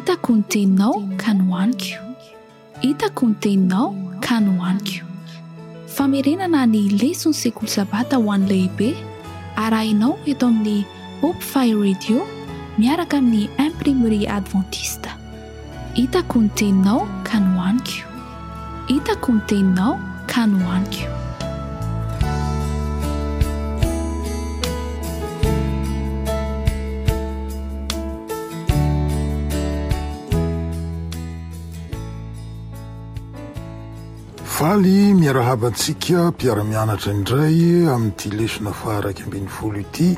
Hitako ny teninao ka nohaniko. Hitako ny teninao ka nohaniko. Famerenana ny leson'ny sekoly sabata ho an'ny lehibe, arahinao eto amin'ny Hope Fire Radio miaraka amin'ny Imprimerie Adventiste. Hitako ny teninao ka nohaniko. Hitako ny teninao ka nohaniko. Faly miarahaba antsika mpiara-mianatra indray amin'ity lesona faha-11 ity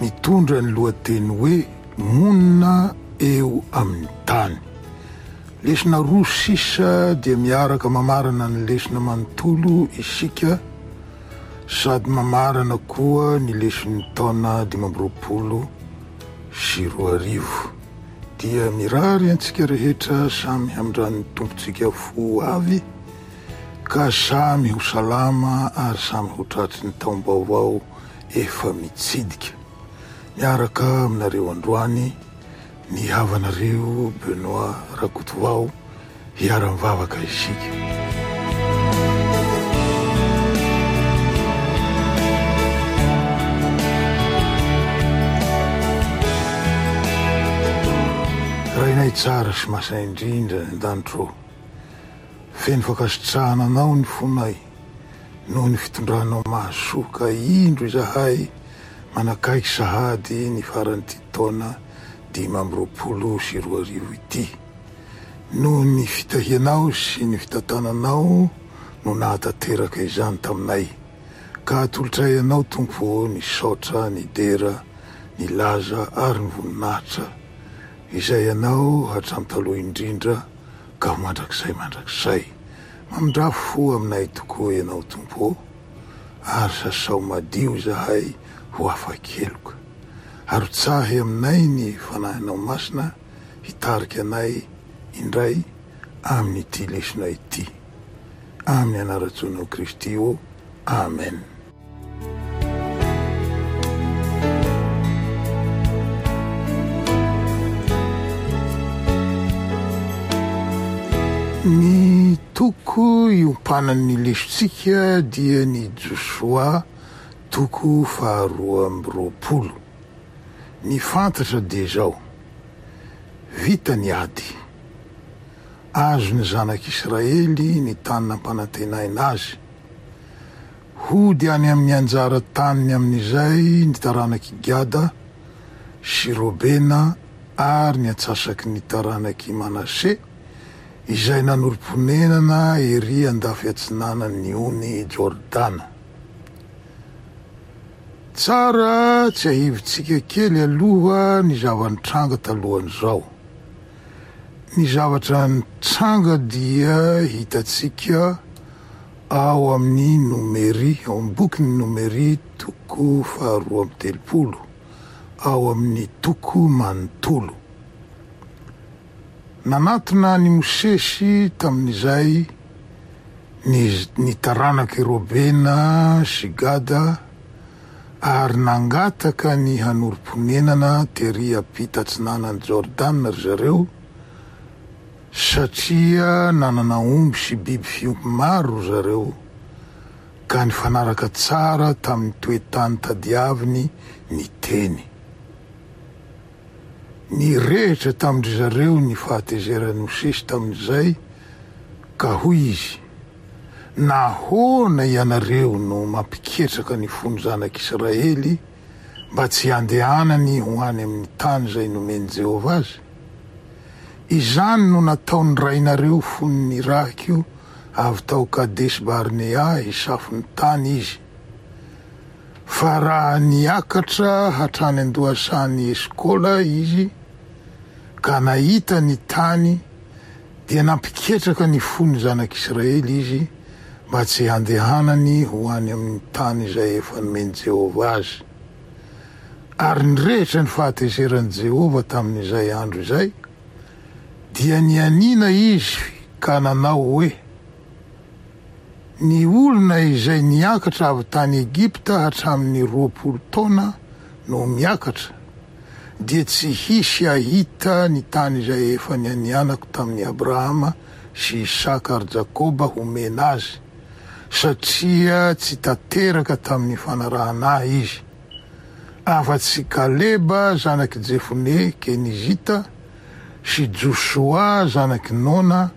mitondra ny lohateny hoe Monina eo amin'ny tany. Lesona roa sisa dia miaraka mamarana ny lesona manontolo isika sady mamarana koa ny leson'ny taona 2025. Dia mirary antsika rehetra samy hamindran'ny Tompontsika fo avy ka samy ho salama ary samy ho tratry ny taom-baovao efa mitsidika. Miaraka aminareo androany ny havanareo Benoit Rakotovao hiara-mivavaka isika. Rainay tsara sy masina indrindra any an-danitra ô, feno fankasitrahana Anao ny fonay noho ny fitondranao mahasoa ka indro izahay Manakaiky sahady ny faran'ity taona 2025 ity. Noho ny fitahianao sy ny fitantananao no nahatanteraka izany taminay. Ka atolotray Anao Tompo ô ny saotra, ny dera, ny laza ary ny voninahitra izay Anao hatramin'ny taloha indrindra ka ho mandrakizay mandrakizay. Mamindrà fo aminay tokoa Ianao Tompo ô. ary sasao madio izahay ho afa-keloka. Arotsahy aminay ny Fanahinao Masina hitarika anay indray amin'ity lesona ity. Amin'ny anaran-tsoanao Kristy ô. Amen. Ny toko iompanan'ny lesontsika dia ny Josoa toko faharoa amby roapolo. Ny fantatra dia izao, vita ny ady. Azon'ny zanak'Israely ny tany nampanantenaina azy. Hody any amin'ny anjara taniny amin'izay ny taranak'i Gada sy Robena ary ny antsasaky ny taranak'i Manase, izay nanorim-ponenana erỳ andafy atsinanan'ny ony Jordana. Tsara tsiahivintsika kely aloha ny zava-nitranga talohan'izao. Ny zavatra nitranga dia hitantsika ao amin'ny Nomery, ao amin'ny bokin'ny Nomery toko faharoa amby telopolo, ao amin'ny toko manontolo. Nanatona an'i Mosesy tamin'izay ny ny taranak'i Robena sy Gada ary nangataka ny hanorim-ponenana tery ampita atsinanan'i Jordana ry zareo, satria nanana omby sy biby fiompy maro ry zareo, ka nifanaraka tsara tamin'ny toe-tany tadiaviny ny teny. Nirehitra tamin-dry zareo ny fahatezeran'i Mosesy tamin'izay, ka hoy izy, Nahoana ianareo no mampiketraka ny fon'ny zanak'Israely mba tsy handehanany ho any amin'ny tany izay nomen'i Jehovah azy? Izany no nataon'ny rainareo fony nirahiko avy tao Kadesy-barnea hisafo ny tany izy. Fa raha niakatra hatrany an-dohasahan'i Eskola izy ka nahita ny tany, dia nampiketraka ny fon'ny zanak'Israely izy mba tsy handehanany ho any amin'ny tany izay efa nomen'i Jehovah azy. Ary nirehitra ny fahatezeran'i Jehovah tamin'izay andro izay, dia nianiana izy ka nanao hoe, Ny olona izay niakatra avy tany Egypta hatramin'ny 20 taona no miakatra, dia tsy hisy hahita ny tany izay efa nianianako tamin'i Abrahama sy Isaka ary Jakoba homena azy, satria tsy tanteraka tamin'ny fanarahana Ahy izy, afa-tsy Kaleba zanak'i Jefone Kenizita sy Josoa zanak'i Nona,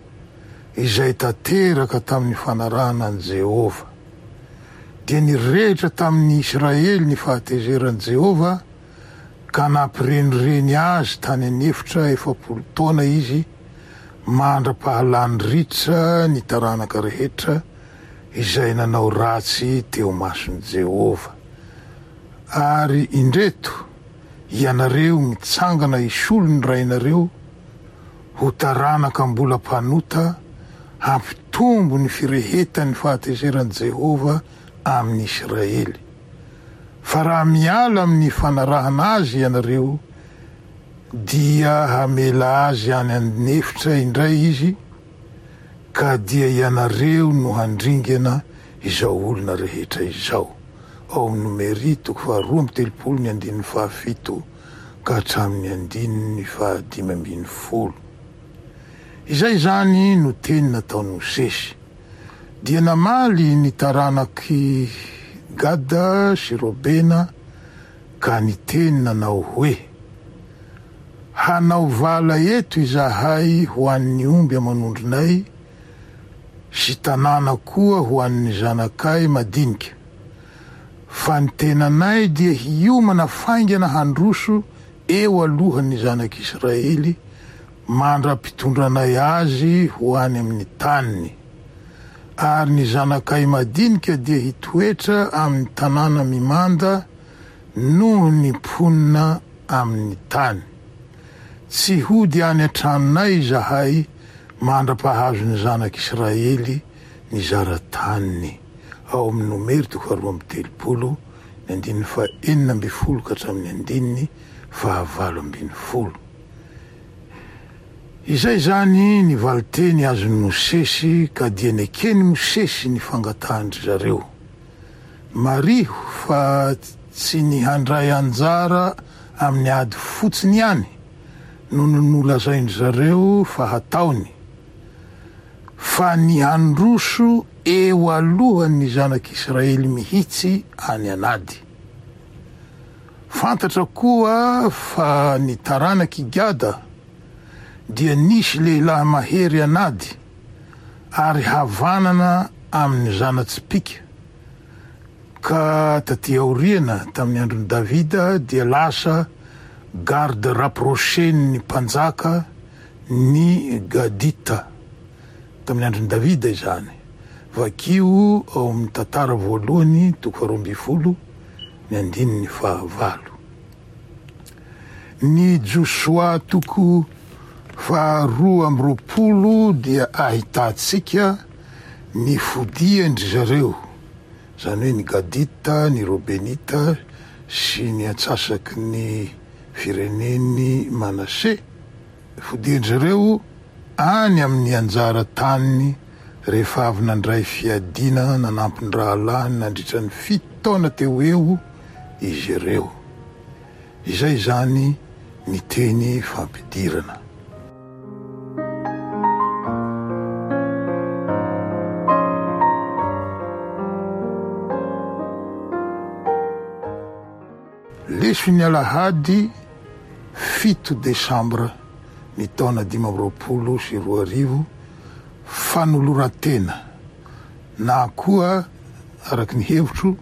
izay tanteraka tamin'ny fanarahana an'i Jehovah. Dia nirehitra tamin'ny Israely ny fahatezeran'i Jehovah, ka nampirenireny azy tany an'efitra 40 taona izy, mandra-pahalany ritra ny taranaka rehetra izay nanao ratsy teo mason'i Jehovah. Ary indreto, ianareo mitsangana hisolo ny rainareo ho taranaka mbola mpanota, hampitombo ny firehetan'ny fahatezeran'i Jehovah amin'ny Isiraely. Fa raha miala amin'ny fanarahana azy ianareo, dia hamela azy any an'efitra indray izy, ka dia ianareo no handringana izao olona rehetra izao. Ao amin'ny Nomery toko faharoa amby telopolo ny andininy fahafito ka hatramin'ny andininy fahadimy ambin'ny folo. Izay izany no teny nataon'i Mosesy. Dia namaly ny taranak'i Gada sy Robena ka niteny nanao hoe, Hanao vala eto izahay ho an'ny omby aman'ondrinay sy tanàna koa ho an'ny zanakay madinika, fa ny tenanay dia hiomana faingana handroso eo alohan'ny zanak'Israely mandra-pitondranay azy ho any amin'ny taniny. Ary ny zanakay madinika dia hitoetra amin'ny tanàna mimanda noho ny mponina amin'ny tany. Tsy hody any an-tranonay izahay mandra-pahazon'ny zanak'Israely ny zara-taniny. Ao amin'ny Nomery toko faharoa amby telopolo, ny andininy fahenina ambin'ny folo ka hatramin'ny andininy fahavalo ambin'ny folo. Izay izany ny valinteny azon'i Mosesy ka dia neken'i Mosesy ny fangatahan-dry zareo. Mariho fa tsy ny handray anjara amin'ny ady fotsiny ihany no nolazain-dry zareo fa hataony, fa ny handroso eo alohan'ny zanak'Israely mihitsy any an'ady. Fantatra koa fa ny taranak'i Gada dia nisy lehilahy mahery an'ady ary havanana amin'ny zana-tsipìka, ka tatỳ aoriana, tamin'ny andron'i Davida, dia lasa garde rapprochée-n'ny mpanjaka ny Gadita. Tamin'ny andron'i Davida izany. Vakio ao amin'ny Tantara voalohany toko faharoa ambin'ny folo ny andininy fahavalo. Ny Josoa toko faharoa amby roapolo dia ahitantsika ny fodian-dry zareo, izany hoe ny Gadita, ny Robenita sy ny antsasaky ny firenen'i Manase. Fodian-dry zareo any amin'ny anjara taniny rehefa avy nandray fiadiana nanampy ny rahalahiny nandritra ny fito taona teo ho eo izy ireo. Izay izany ny teny fampidirana. Leson'ny alahady fito desambra ny taona 2025, fanoloran-tena na koa araka ny hevitro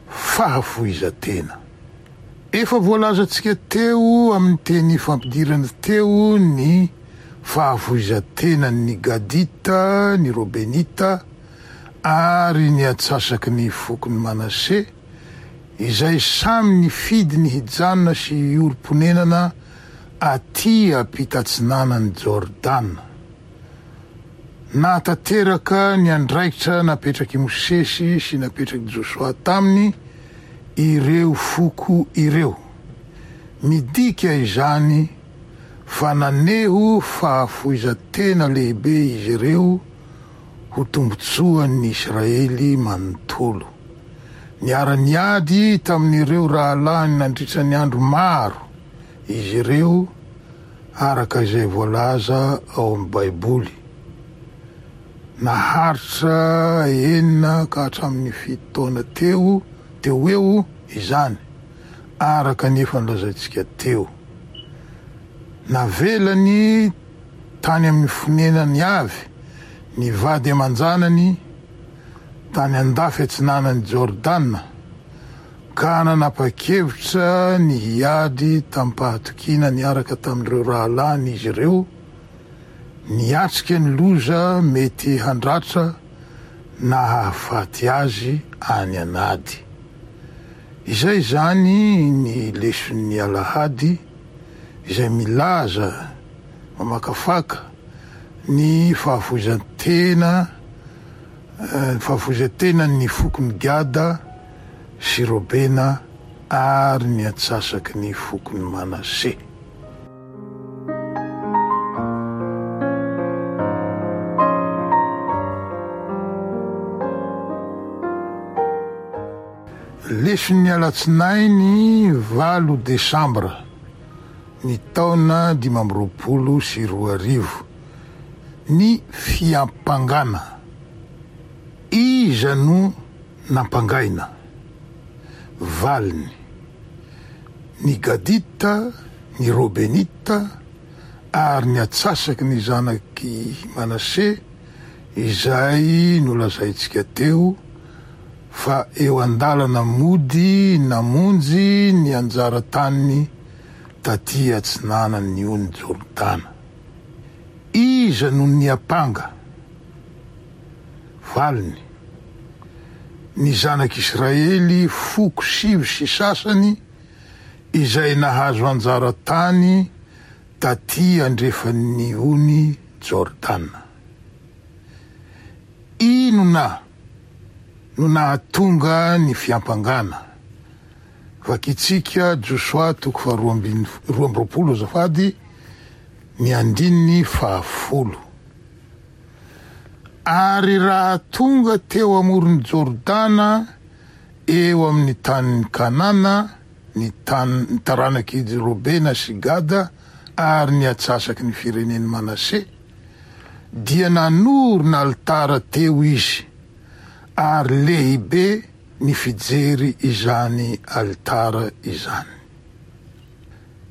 fahafoizan-tena. Efa voalazantsika teo amin'ny teny fampidirana teo ny fahafoizan-tenan'ny Gadita, ny Robenita ary ny antsasaky ny fokon'i Manase, izay samy nifidy ny hijanona sy hiorim-ponenana aty ampitatsinanan'i Jordana. Nahatanteraka ny andraikitra napetrak'i Mosesy sy napetrak'i Josoa taminy ireo foko ireo. Midika izany fa naneho fahafoizan-tena lehibe izy ireo ho tombontsoan'ny Israely manontolo. Niara-niady tamin'ireo rahalahiny nandritra ny andro maro. izy ireo araka izay voalaza ao amin'ny Baiboly. Naharitra enina ka hatramin'ny fito taona teo teo ho eo izany, araka ny efa nolazaintsika teo. Navelany tany amin'ny fonenany avy ny vady aman-janany tany andafy atsinanan'i Jordana, ka nanapa-kevitra ny hiady tamim-pahatokiana niaraka tamin'ireo rahalahiny izy ireo, niatrika ny loza mety handratra na hahafaty azy any an'ady. Izay izany ny leson'ny alahady izay milaza, mamakafaka ny fahafoizan-tena ny fahafoizan-tenan'ny fokon'i Gada sy Robena ary ny antsasaky ny fokon'i Manase. Leson'ny alatsinainy valo desambra ny taona 2025, ny fiampangana. Iza no nampangaina? Valiny, Ny Gadita, ny Robenita, ary ny atsasaky ny zanak'i Manase izay nolazaintsika teo fa eo an-dalana mody namonjy ny anjara taniny taty atsinanan'ny ony Jordana. Iza no niampanga? Valiny, Ny zanak'Israely foko sivy sy sasany izay nahazo anjara tany taty andrefan'ny ony Jordana. Inona no nahatonga ny fiampangana? Vakintsika Josoa toko faharoa ambin'ny 22 azafady, ny andininy fahafolo. Ary raha tonga teo amoron'i Jordana eo amin'ny tanin'i Kanana ny tany ny taranak'i Robena sy Gada ary ny atsasaky ny firenen'i Manase, dia nanorina alitara teo izy, ary lehibe ny fijery izany alitara izany.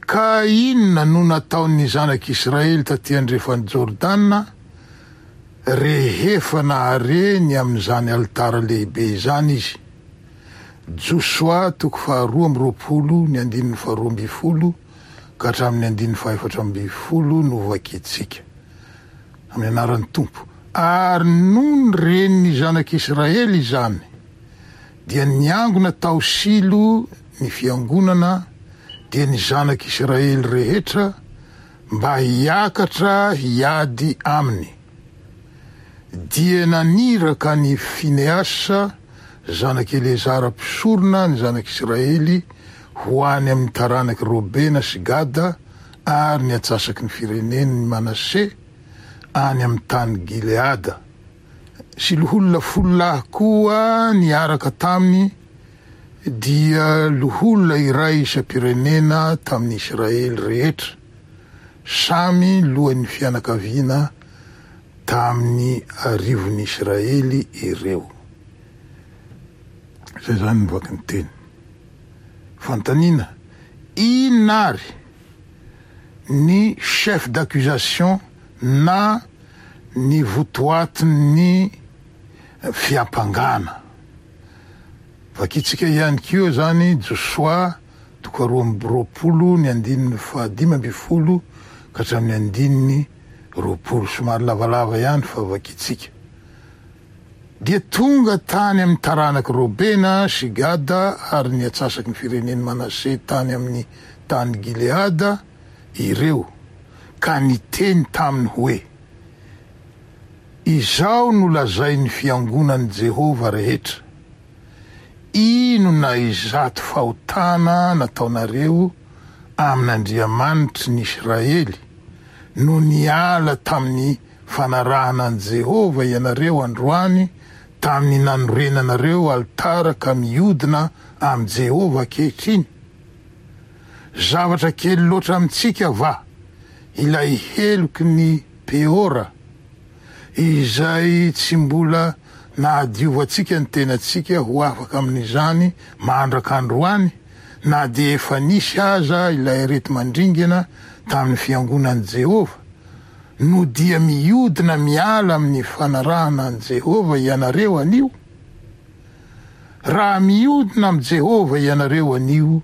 Ka inona no nataon'ny zanak'Israely taty andrefan'i Jordana rehefa nahare ny amin'izany alitara lehibe izany izy? Josoa toko faharoa amby roapolo ny andininy faharoa ambin'ny folo ka hatramin'ny andininy fahefatra ambin'ny folo no vakintsika. Amin'ny anaran'ny Tompo. Ary nony ren'ny zanak'Israely izany, dia niangona tao Silo ny fiangonana, dia ny zanak' Isiraely rehetra, mba hiakatra hiady aminy. Dia naniraka an' i Finehasa, zanak' Eleazara mpisorona, ny zanak' Isiraely ho any amin' ny taranak' i Robena sy Gada ary ny antsasaky ny firenen' i Manase any amin' ny tany Gileada. Sy loholona folo lahy koa niaraka taminy, dia loholona iray isam-pirenena tamin'ny Isiraely rehetra, samy lohan'ny fianakaviana tamin'ny arivon'ny Isiraely ireo. Izay izany ny vakin-teny. Fanontaniana, Inona àry ny chef d'accusation na ny votoatin'ny fiampangana. Vakintsika ihany koa izany Josoa toko 22 ny andininy faha-15 ka hatramin'ny andininy 20. Somary lavalava ihany fa vakintsika. Dia tonga tany amin'ny taranak'i Robena sy Gada ary ny atsasaky ny firenen'i Manase tany amin'ny tany Gileada ireo, ka niteny taminy hoe, Izao no lazain'ny fiangonan'i Jehovah rehetra, Inona izato fahotana nataonareo amin'Andriamanitry ny Israely, no niala tamin'ny fanarahana an'i Jehovah ianareo androany tamin'ny nanorenanareo alitara ka miodina amin'i Jehovah ankehitriny? Zavatra kely loatra amintsika va ilay heloky ny Peora, izay tsy mbola nahadiovantsika ny tenantsika ho afaka amin'izany mandraka androany, na dia efa nisy aza ilay areti-mandringana tamin'ny fiangonan'i Jehovah? No dia mihodina miala amin'ny fanarahana an'i Jehovah ianareo anio? Raha mihodina amin'i Jehovah ianareo anio,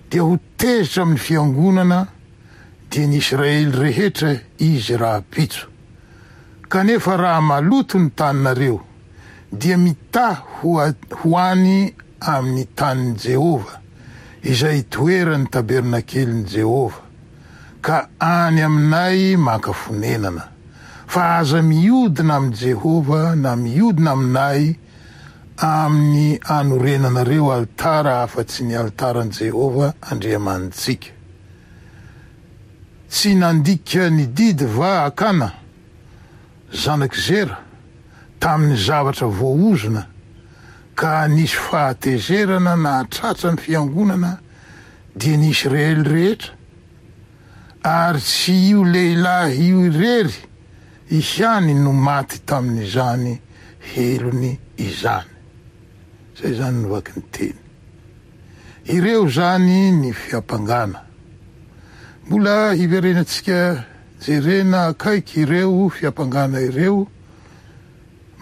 dia ho tezitra amin'ny fiangonana, dia ny Israely rehetra, izy rahampitso. Kanefa raha maloto ny taninareo, dia mitaha ho ho any amin'ny tanin'i Jehovah, izay itoeran'ny tabernakelin'i Jehovah, ka any aminay maka fonenana. Fa aza mihodina amin'i Jehovah na mihodina aminay amin'ny anorenanareo alitara afa-tsy ny alitaran'i Jehovah Andriamanitsika. Tsy nandika ny didy va Akana, zanak'i Zera, tamin'ny zavatra voaozona, ka nisy fahatezerana nahatratra ny fiangonana, dia ny Israely rehetra? Ary tsy io lehilahy io irery ihany no maty tamin'izany helony izany. Izay izany no vaky ny teny. Ireo izany ny fiampangana. Mbola hiverenantsika jerena akaiky ireo fiampangana ireo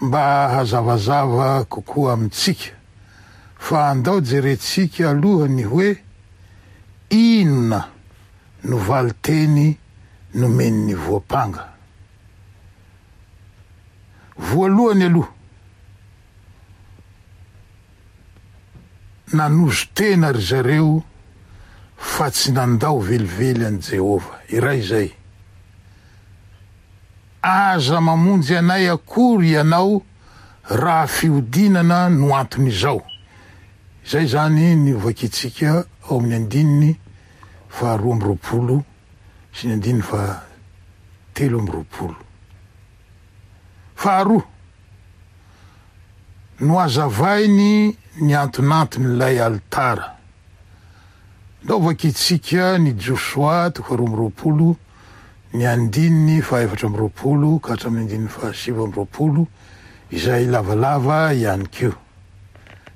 mba hazavazava kokoa amintsika. Fa andao jerentsika aloha ny hoe inona no valinteny nomen'ny voampanga. Voalohany aloha, nanozo-tena ry zareo fa tsy nandao velively an'i Jehovah. Iray izay. Aza mamonjy anay akory ianao raha fihodinana no anton'izao. Izay izany ny hovakintsika ao amin'ny andininy faha 22 sy ny andininy faha 23. Faharoa, nohazavainy ny antonanton'ilay alitara. Ndao vakintsika ny Josoa toko faha 22, ny andininy faha 24 ka hatramin'ny andininy faha 29, izay lavalava ihany koa.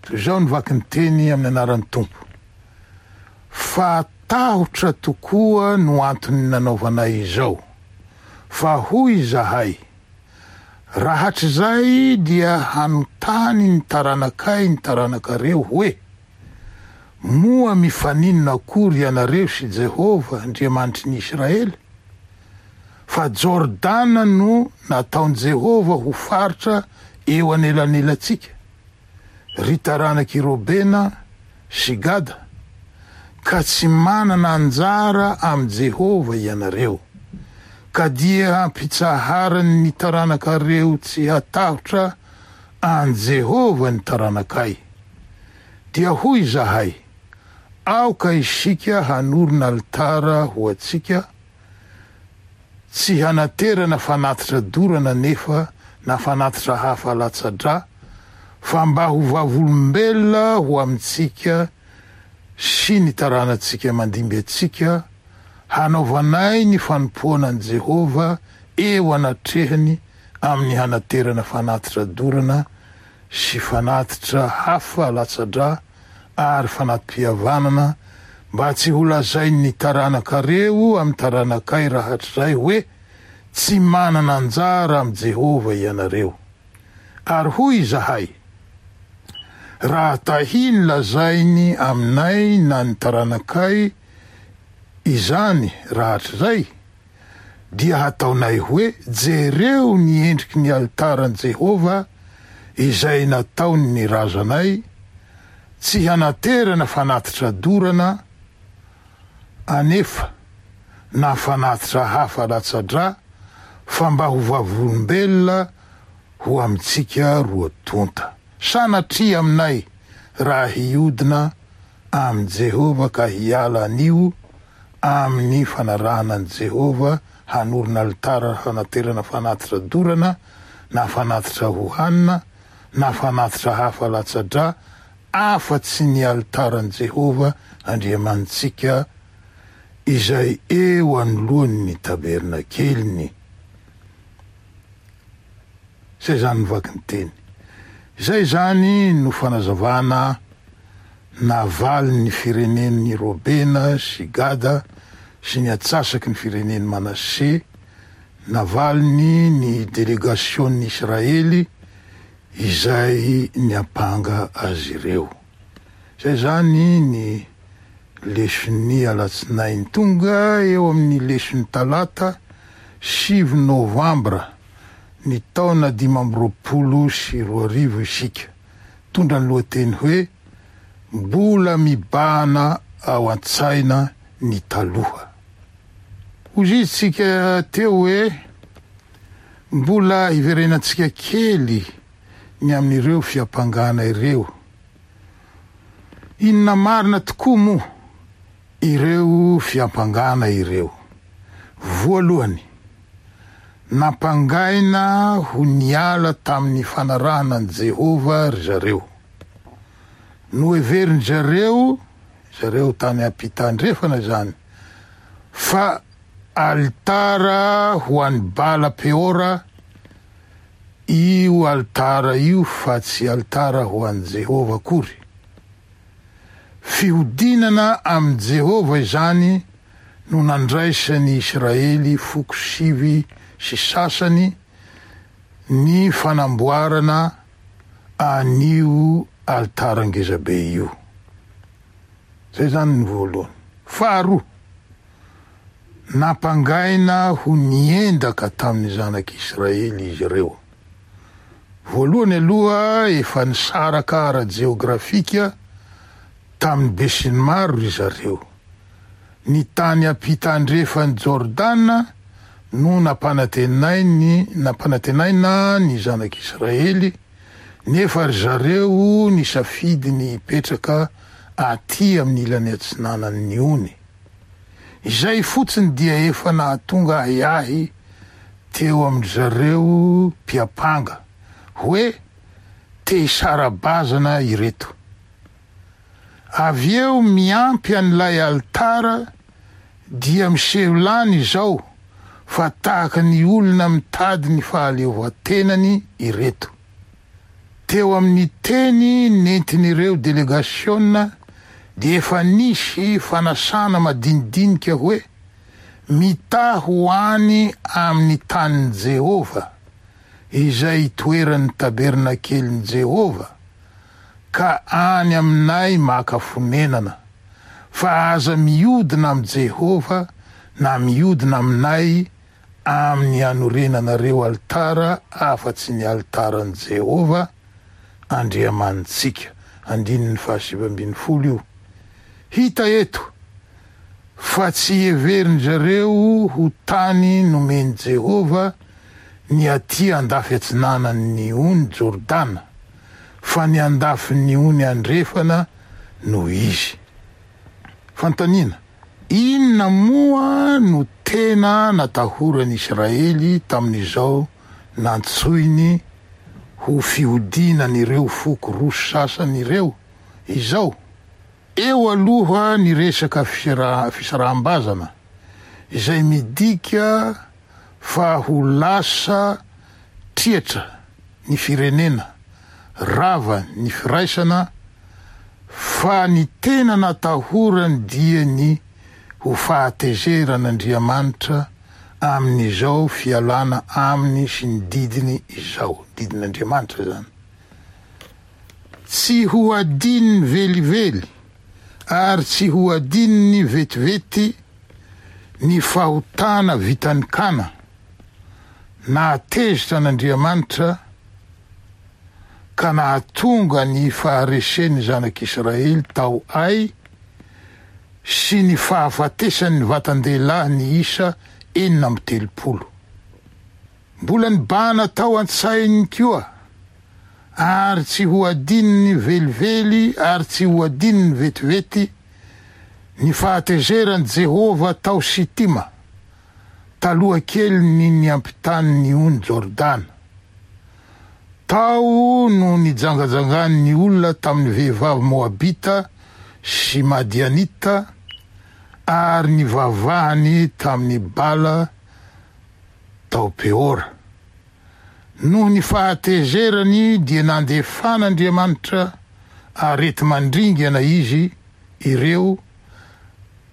Toy izao ny vaky ny teny amin'ny anaran'ny Tompo. Fa tahotra tokoa no antony nanaovanay izao. Fa hoy izahay, Rahatrizay dia hanontany ny taranakay ny taranakareo hoe, Moa mifaninona akory ianareo sy Jehovah Andriamanitry ny Israely? Fa Jordana no nataon'i Jehovah ho faritra eo anelanelantsika. ry taranak'i Robena sy Gada, ka tsy manana anjara amin'i Jehovah ianareo, ka dia hampitsaharany ny taranakareo tsy hatahotra an'i Jehovah ny taranakay. Dia hoy izahay, Aoka isika hanorina alitara ho antsika, Tsy hanaterana fanatitra dorana anefa na fanatitra hafa latsa-drà, fa mba ho vavolombelona ho amintsika sy ny taranatsika mandimby antsika, hanaovanay ny fanompoana an'i Jehovah eo anatrehany amin'ny hanaterana fanatitra dorana sy fanatitra hafa latsa-drà ary fanati-pihavanana, mba tsy holazain'ny taranakareo amin'ny taranakay rahatrizay hoe, Tsy manana anjara amin'i Jehovah ianareo. Ary hoy izahay, Raha tahiny lazainy aminay na ny taranakay izany rahatrizay, dia hataonay hoe, 'Jereo ny endriky ny alitaran'i Jehovah izay nataon'ny razanay, tsy hanaterana fanatitra dorana anefa na fanatitra hafa latsa-drà, fa mba ho vavolombelona ho amintsika roa tonta. Sanatria aminay raha hiodina amin'i Jehovah ka hiala anio amin'ny fanarahana an'i Jehovah hanorina alitara hanaterana fanatitra dorana na fanatitra hohanina na fanatitra hafa latsa-drà afa-tsy ny alitaran'i Jehovah Andriamanitsika. izay eo anoloan'ny tabernakeliny. Izay izany ny vakin-teny. Izay izany no fanazavana navalin'ny firenen'i Robena sy Gada sy ny antsasaky ny firenen'i Manase, navaliny ny delegasion'ny Israely izay niampanga azy ireo. Izay izany ny leson'ny alatsinainy. Tonga eo amin'ny leson'ny talata sivy novambra ny taona 2025 isika. Mitondra ny lohateny hoe Mbola mibahana ao an-tsaina ny taloha. Hoy isika teo hoe mbola hiverenantsika kely ny amin'ireo fiampangana ireo. Inona marina tokoa moa ireo fiampangana ireo? Voalohany, nampangaina ho niala tamin'ny fanarahana an'i Jehovah ry zareo. Noheverin-dry zareo, zareo tany ampita andrefana izany, fa alitara ho an'i Bala Peora io alitara io fa tsy alitara ho an'i Jehovah akory. Fihodinana amin'i Jehovah izany no nandraisan'ny Isiraely foko sivy sy sasany ny fanamboarana an'io alitara ngezabe io. Izay izany ny voalohany. Faharoa, nampangaina ho niendaka tamin'ny zanak'Israely izy ireo. Voalohany aloha, efa nisaraka ara-jeografika tamin'ny besinimaro ry zareo. Ny tany ampita andrefan'i Jordana no nampanantenainy nampanantenaina ny zanak'Israely, nefa ry zareo nisafidy ny hipetraka aty amin'ny ilany atsinanan'ny ony. Izay fotsiny dia efa nahatonga ahiahy teo amin-dry zareo mpiampanga hoe te hisara-bazana ireto. Avy eo miampy an'ilay alitara dia miseho lany izao fa tahaka ny olona mitady ny fahaleovantenany ireto. Teo amin'ny teny nentin'ireo delegasiona dia efa nisy fanasana madinidinika hoe mitaha ho any amin'ny tanin'i Jehovah, izay itoeran'ny tabernakelin'i Jehovah, ka any aminay maka fonenana, fa aza miodina amin'i Jehovah na miodina aminay amin'ny hanorenanareo alitara afa-tsy ny alitaran'i Jehovah Andriamanitsika. Andininy fahasivy ambin'ny folo io. Hita eto fa tsy heverin-dry zareo ho tany nomen'i Jehovah ny atỳ andafy atsinanan'ny Ony Jordana, fa ny andafin'ny ony andrefana no izy. Fanontaniana, Inona moa no tena natahoran'i Israely tamin'izao nantsoiny ho fihodinan'ireo foko roa sasany ireo izao? Eo aloha ny resaka fisaraham-bazana, izay midika fa ho lasa triatra ny firenena, rava ny firaisana, fa ny tena natahorany dia ny ho fahatezeran'Andriamanitra amin'izao fialana aminy sy ny didiny izao, didin'Andriamanitra izany. Tsy ho adinony velively ary tsy ho adinony vetivety ny fahotana vitan'i Kana, nahatezitra an'Andriamanitra ka nahatonga ny faharesen'ny zanak'Israely tao Ay sy ny fahafatesan'ny vatan-dehilahy niisa 36. Mbola nibahana tao an-tsainy koa, ary tsy ho adinony velively ary tsy ho adinony vetivety, ny fahatezeran'i Jehovah tao Sitima, taloha kelin'ny niampitany ny Ony Jordana. Tao no nijangajangan'ny olona tamin'ny vehivavy Moabita sy Madianita. Ary nivavahany tamin'i Bala tao Peora. Noho ny fahatezerany dia nandefan'Andriamanitra areti-mandringana izy ireo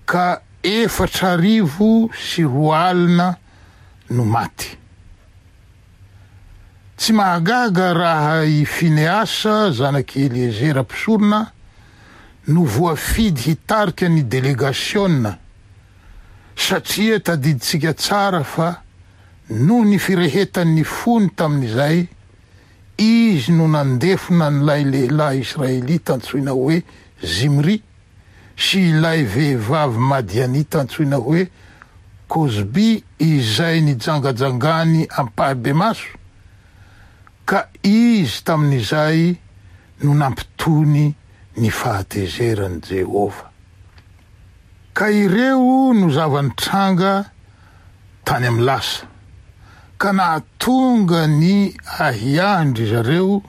ka 2004 no maty. Tsy mahagaga raha i Finehasa zanak'i Eliezera mpisorona no voafidy hitarika ny delegasiona, satria tadidintsika tsara fa noho ny firehetan'ny fony tamin'izay, izy no nandefona an'ilay lehilahy israelita antsoina hoe Zimri sy ilay vehivavy madianita antsoina hoe Kozby izay nijangajangany ampahibemaso, ka izy tamin'izay no nampitony ny fahatezeran'i Jehovah. Ka ireo no zava-nitranga tany amin'ny lasa, ka nahatonga ny ahiahin-dry zareo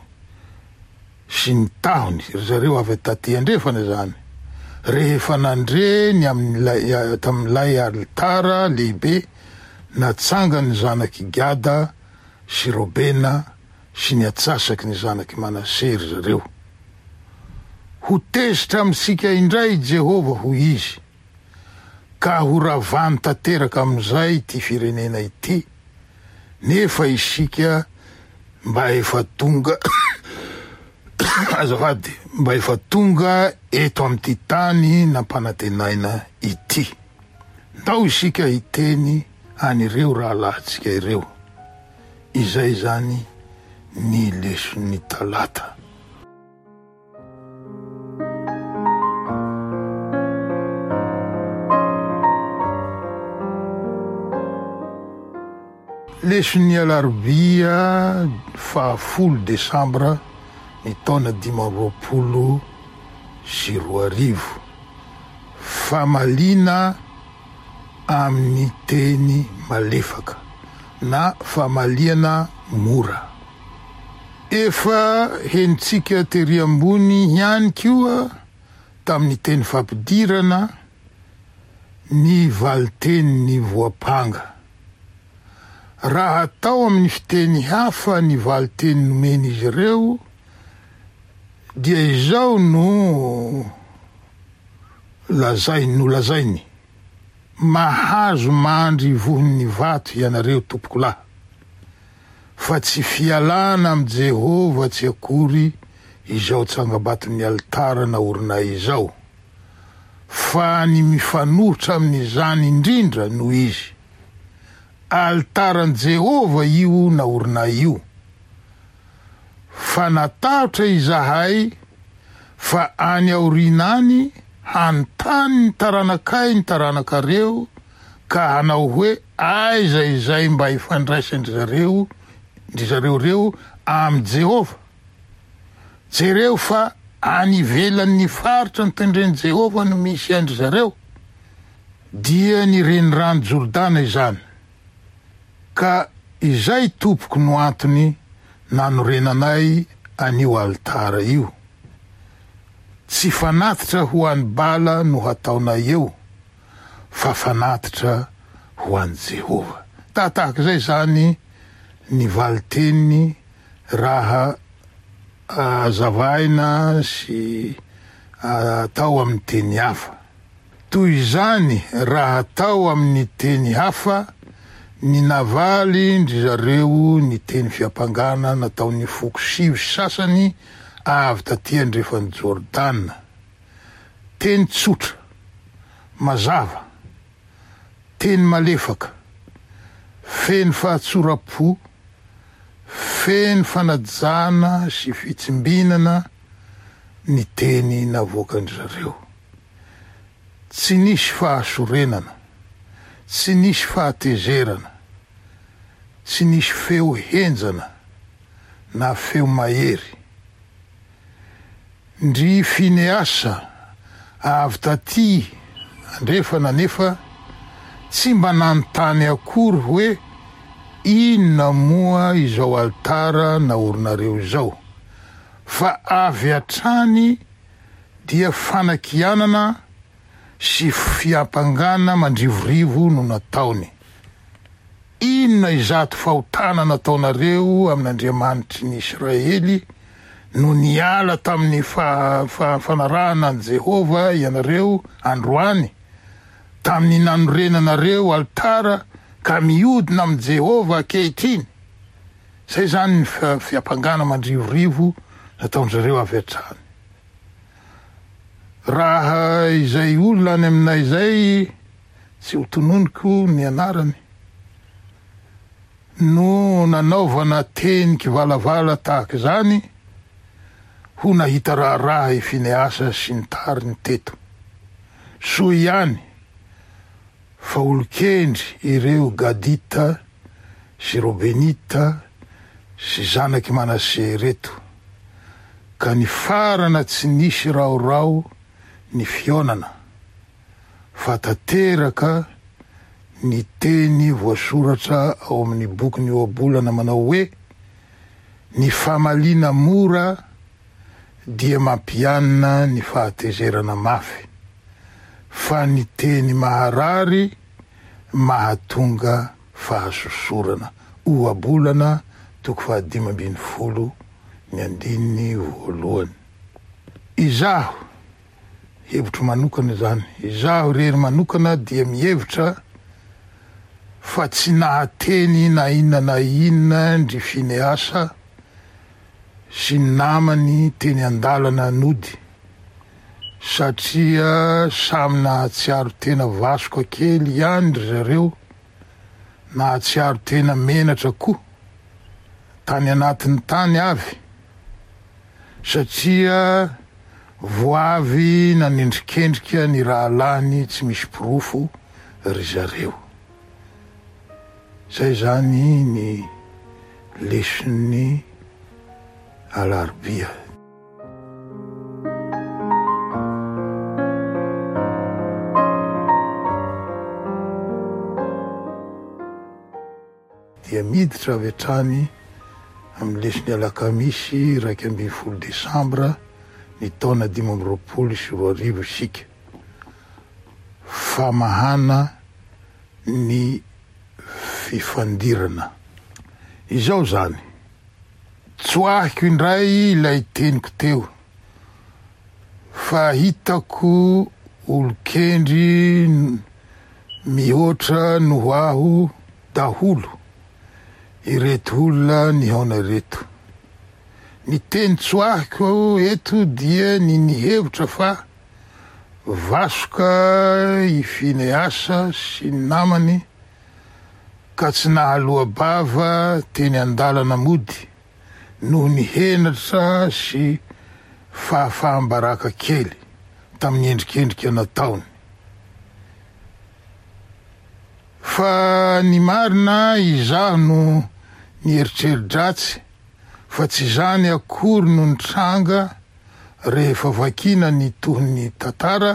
sy ny tahony, ry zareo avy taty andrefana izany, rehefa nandre ny amin'ilay tamin'ilay alitara lehibe natsangan'ny zanak'i Gada sy Robena sy ny atsasaky ny zanak'i Manase ry zareo. Ho tezitra amintsika indray i Jehovah, hoy izy, ka horavany tanteraka amin'izay ity firenena ity, nefa isika mba efa tonga azafady, mba efa tonga eto amin'ity tany nampanantenaina ity. Ndao isika hiteny an'ireo rahalahintsika ireo. Izay izany ny leson'ny talata. Leson'ny alarobia fahafolo desambra ny taona 2025. Famaliana amin'ny teny malefaka na famaliana mora. Efa henontsika tery ambony ihany koa tamin'ny teny fampidirana ny valin-tenin'ny voampanga. Raha atao amin'ny fiteny hafa ny valin-teny nomen'izy ireo dia izao no lazainy, nolazainy, Mahazo mandry ivohon'ny vato ianareo tompokolahy. Fa tsy fialana amin'i Jehovah tsy akory izao tsangambaton'ny alitara naorinay izao, fa ny mifanohitra amin'izany indrindra no izy. Alitaran'i Jehovah io naorinay io. Fa natahotra izahay fa any aoriana any hanontany ny taranakay ny taranakareo ka hanao hoe aiza izay mba ifandraisan-dry zareo ndry zareo ireo amin'i Jehovah? Jereo fa any ivelan'ny faritra notendren'i Jehovah no misy an-dry zareo, dia ny Renirano Jordana izany. Ka izay tompoko no antony nanorenanay an'io alitara io. Tsy fanatitra ho an'i Bala no hataonay eo, fa fanatitra ho an'i Jehovah. Tahatahaka izay izany ny valin-teniny raha hazavaina sy atao amin'ny teny hafa. Toy izany raha atao amin'ny teny hafa ny navalin-dry zareo ny teny fiampangana nataon'ny foko sivy sasany avy taty andrefan'i Jordana. Teny tsotra, mazava, teny malefaka, feno fahatsoram-po, feno fanajana sy fitsimbinana ny teny navoakan-dry zareo. Tsy nisy fahasorenana, tsy nisy fahatezerana, tsy nisy feo henjana na feo mahery. Ndry Fineasa avy taty andrefana anefa tsy mba nanontany akory hoe inona moa izao alitara naorinareo izao, fa avy hatrany dia fanakianana. sy fiampangana mandrivorivo no nataony. Inona izato fahotana nataonareo amin'Andriamanitry ny Israely no niala tamin'ny fanarahana an'i Jehovah ianareo androany, tamin'ny nanorenanareo alitara ka mihodina amin'i Jehovah ankehitriny? Izay izany ny fiampangana mandrivorivo nataon-dry zareo avy hatrany. Raha izay olona any aminay izay, tsy ho tononiko ny anarany, no nanaovana teny kivalavala tahaka izany, ho nahita raharaha i Finehasa sy ny tariny teto. Soa ihany fa olon-kendry ireo Gadita sy Robenita sy zanak'i Manase ireto, ka nifarana tsy nisy raorao ny fihaonana, fa tanteraka ny teny voasoratra ao amin'ny bokin'ny Ohabolana manao hoe, Ny famaliana mora dia mampianina ny fahatezerana mafy, fa ny teny maharary mahatonga fahasosorana. Ohabolana toko fahadimy ambin'ny folo ny andininy voalohany. Izaho, hevitro manokana izany, izaho irery manokana dia mihevitra fa tsy nahateny na inona na inona ndry Finehasa sy ny namany teny an-dalana nody satria samy nahatsiaro tena vasoka kely ihany ry zareo, nahatsiaro tena menatra koa tany anatiny tany avy satria vao avy nanendrikendrika ny rahalahiny tsy misy porofo ry zareo. Zay zany ny leson'ny alarobia. Dia miditra avy hatrany amin'ny leson'ny alakamisy 11 desambra ny taona 2025 isika. Famahana ny fifandirana. Izao izany. Tsoahiko indray ilay teniko teo fa hitako olon-kendry mihoatra noho aho daholo ireto olona nihaona ireto. Ny teny tsoahiko eto dia ny nihevitra fa vasoka i Finehasa sy ny namany ka tsy nahaloa-bava teny an-dalana mody noho ny henatra sy fahafaham-baraka kely tamin'ny endrikendrika nataony. Fa ny marina izaho no nieritreri-dratsy fa tsy izany akory no nitranga rehefa vakiana ny tohin'ny tantara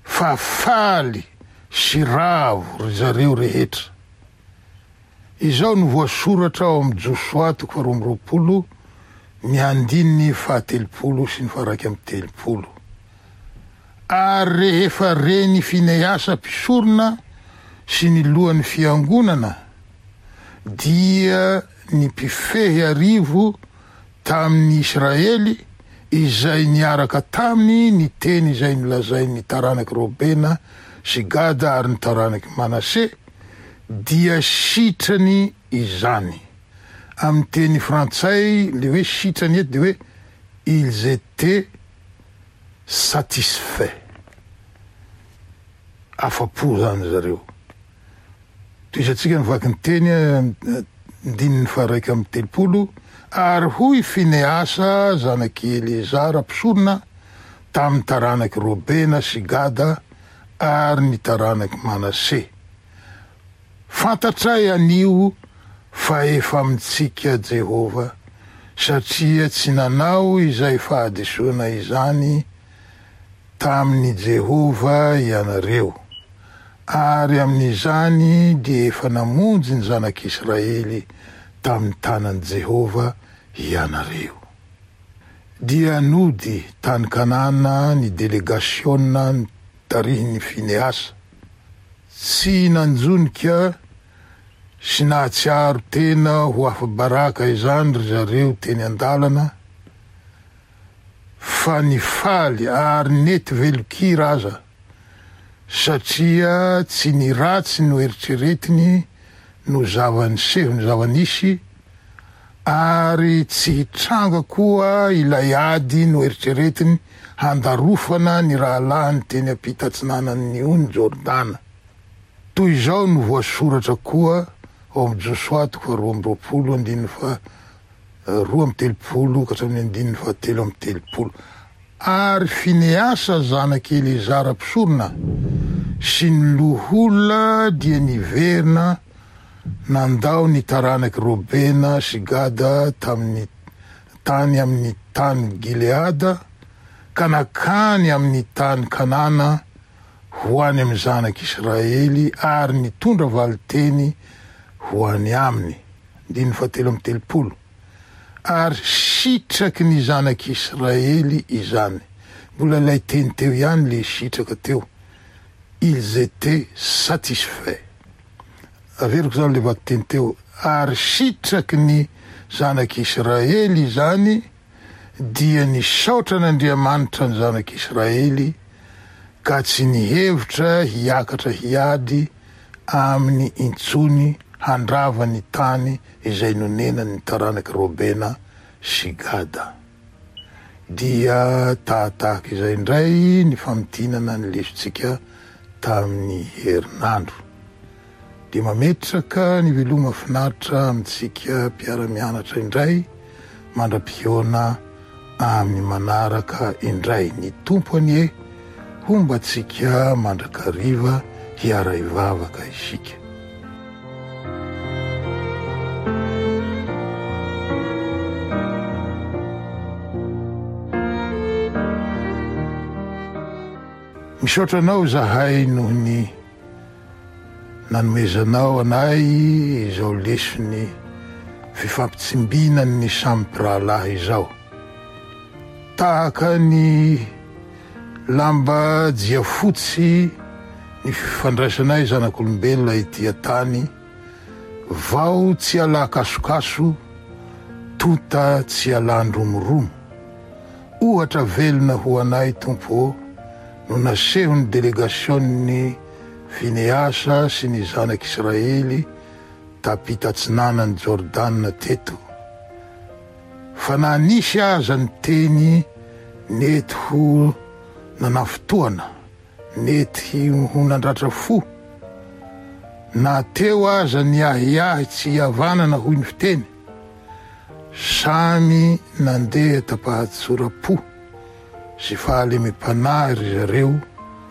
fa faly sy ravo ry zareo rehetra. Izao no voasoratra ao amin'ny Josoa toko faharoa amby roapolo ny andininy fahatelopolo sy ny faha-31. Ary rehefa ren'i Finehasa mpisorona sy ny lohan'ny fiangonana, dia ny mpifehy arivo tamin'ny Israely izay niaraka taminy ny teny izay nolazain'ny taranak'i Robena sy Gada ary ny taranak'i Manase, dia sitrany izany. Amin'ny teny frantsay, le hoe sitrany eto dia hoe ils étaient satisfaits. Afa-po izany zareo. Tohizantsika ny vakinteny andininy faha-31, Ary hoy Finehasa zanak'i Eleazara mpisorona tamin'ny taranak'i Robena sy Gada ary ny taranak'i Manase, Fantatray anio fa efa amintsika Jehovah, satria tsy nanao izay fahadisoana izany tamin'i Jehovah ianareo, ary amin'izany dia efa namonjy ny zanak'Israely tamin'ny tanan'i Jehovah ianareo. Dia nody tany Kanana ny delegasiona. tarihin'i Finehasa. Tsy nanjonika sy nahatsiaro tena ho afa-baraka izany ry zareo teny an-dalana fa nifaly ary nety velon-kira aza satria tsy ny ratsy noeritreretiny no zava-niseho ny zava-nisy ary tsy hitranga koa ilay ady noeritreretiny handarofana ny rahalahiny teny ampita atsinanan'ny ony Jordana. Toy izao no voasoratra koa ao amin'ny Josoa toko faharoa amby roapolo andininy faha 32 ka hatramin'ny andininy faha 33. Ary Finehasa zanak'i Elezara mpisorona sy ny loholona dia niverina nandao ny taranak'i Robena sy Gada tamin'ny tany amin'ny tany Gileada ka nankany amin'ny tany Kanana ho any amin'ny zanak'Israely ary nitondra valin-teny ho any aminy. Andininy fahatelo amby telopolo. Ary sitraky ny zanak'Israely izany. Mbola ilay teny teo ihany le sitraka teo. Ils étaient satisfaits. Averiko izany le vakiteny teo. Ary sitraky ny zanak'Israely izany dia nisaotra an'Andriamanitra ny zanak'Israely ka tsy nihevitra hiakatra hiady aminy intsony handrava ny tany izay nonenan'ny taranak'i Robena sy Gada. Dia tahatahaka izay indray ny famintinana ny lesontsika tamin'ny herinandro. Dia mametraka ny veloma finaritra amintsika mpiara-mianatra indray mandra-pihaona amin'ny manaraka indray. Ny Tompo anie homba antsika mandrakariva hiara-hivavaka isika. Misaotra anao izahay noho ny nanomezanao anay izao leson'ny fifampitsimbinan'ny samy mpirahalahy izao. Tahaka ny lamba jiafotsy ny fifandraisanay zanak'olombelona ety an-tany, vao tsy alà-kasokaso, tonta tsy alàn-dromoromo. Ohatra velona ho anay Tompo ô no nasehon'ny delegasion'ny Fineasa sy ny zanak'Israely tampita atsinanan'i Jordana teto. Fa na nisy aza ny teny nety ho nanafintohana, nety ho nandratra fo, na teo aza ny ahiahy tsy hihavanana hoy ny fiteny, Samy nandeha tam-pahatsoram-po sy fahalemem-panahy ry zareo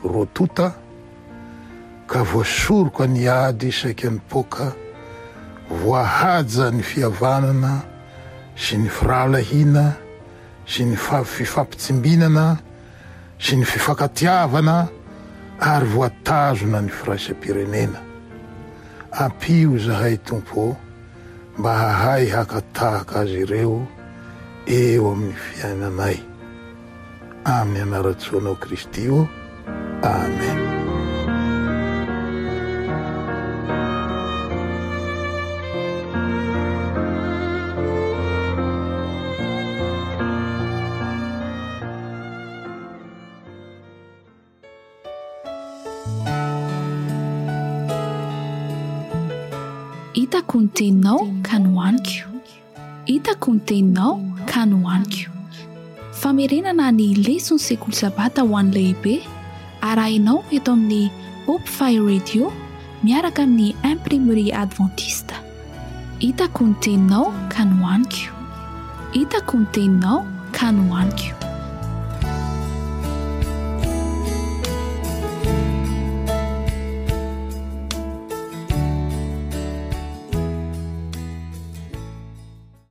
roa tonta ka voasoroka ny ady saika nipoaka, voahaja ny fihavanana sy ny firahalahiana sy ny fifampitsimbinana sy ny fifankatiavana ary voatazona ny firaisam-pirenena. Ampio izahay Tompo ô! mba hahay haka tahaka azy ireo eo amin'ny fiainanay. Amin'ny anaran-tsoanao Kristy ô. Amen. Hitako ny teninao ka nohaniko. Hitako ny teninao ka nohaniko. Famerenana ny leson'ny sekoly sabata ho an'ny lehibe arahinao eto amin'ny Hope Fire Radio miaraka amin'ny Imprimerie Adventiste. Hitako ny teninao ka nohaniko. Hitako ny teninao ka nohaniko.